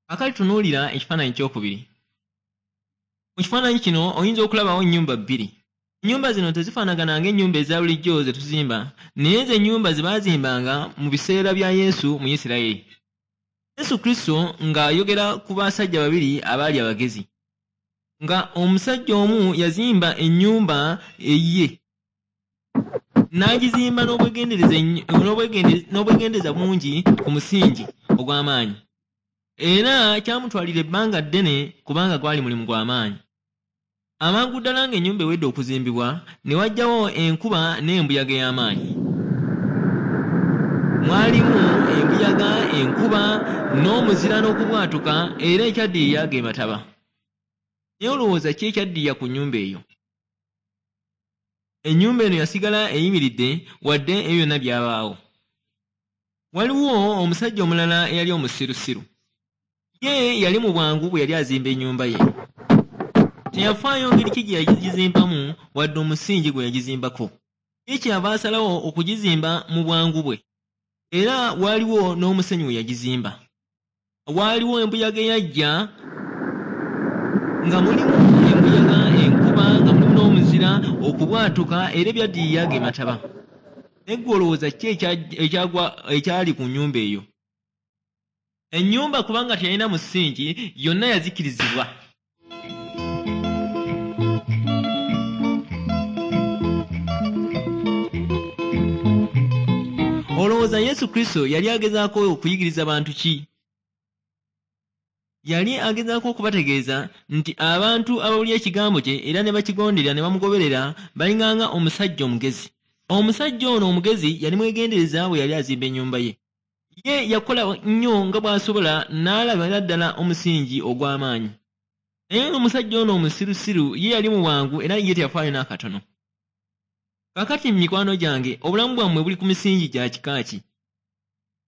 Kaakati tunuulira ekifaananyi kyokubiri. Mu kifaananyi kino oyinza okulabawo ennyumba bbiri. Ennyumba zino tezifaanagana ng'ennyumba eza bulijjo ze tuzimba, naye ze nnyumba ze baazimbanga mu biseera bya Yesu mu Isirayiri. Yesu Kristo ng'ayogera ku basajja babiri abaali abagezi, nga omusajja omu yazimba ennyumba eyiye n'agizimba n'obwegendereza bungi ku musingi ogw'amaanyi, era kyamutwalira ebbanga ddene kubanga gwali mulimu gwa maanyi. Amangu ddala ng'ennyumba ewedde okuzimbibwa, ne wajjawo enkuba n'embuyaga ey'amaanyi. Mwalimu embuyaga, enkuba, n'omuzira n'okubwatuka, era ekyaddirira ge mataba. Naye olowooza ki ekyaddirira ku nnyumba eyo? Ennyumba eno yasigala eyimiridde wadde ebyo byonna byabaawo. Waliwo omusajja omulala eyali omusirusiru. Ye yali mu bwangu bwe yali azimba ennyumba ye. Teyafaayo ngeri ki gye yagizimbamu wadde omusingi gwe yagizimbako. Ye kyeyava asalawo okugizimba mu bwangu bwe. Era waaliwo n'omusenyu we yagizimba. Waaliwo embuyaga eyajja nga mulimu embuyaga, enkuba, nga mulimu n'omuzira, okubwatuka, era ebyaddirira ge mataba. Naye ggwe olowooza ki ekyali ku nnyumba eyo? Ennyumba kubanga teyalina musingi, yonna yazikirizibwa. Olowooza Yesu Kristo yali agezaako okuyigiriza bantu ki? Yali agezaako okubategeeza nti abantu abawulira ekigambo kye era ne bakigondera ne bamugoberera balinganga omusajja omugezi. Omusajja ono omugezi yali mwegendereza bwe yali azimba ennyumba ye. Ye yakola nnyo nga bw'asobola n'alabira ddala omusingi ogw'amaanyi. Naye omusajja ono omusirusiru ye yali mu bwangu era ye teyafaayo n'akatono. Kaakati mikwano gyange, obulamu bwammwe buli ku misingi gya kika ki?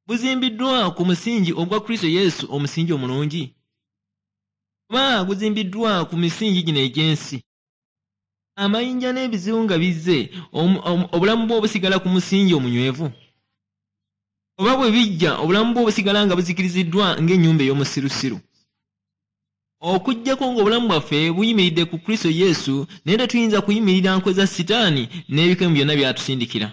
Buzimbiddwa ku musingi ogwa Kristo Yesu, omusingi omulungi? Oba guzimbiddwa ku misingi gino egy'ensi? Amayinja n'ebizibu nga bizze, obulamu bwo busigala ku musingi omunywevu? Oba bwe bijja, obulamu bwo busigala nga buzikiriziddwa ng'ennyumba ey'omusirusiru? Okuggyako ng'obulamu bwaffe buyimiridde ku Kristo Yesu, naye tetuyinza kuyimirira nkwe za Sitaani n'ebikemo byonna by'atusindikira.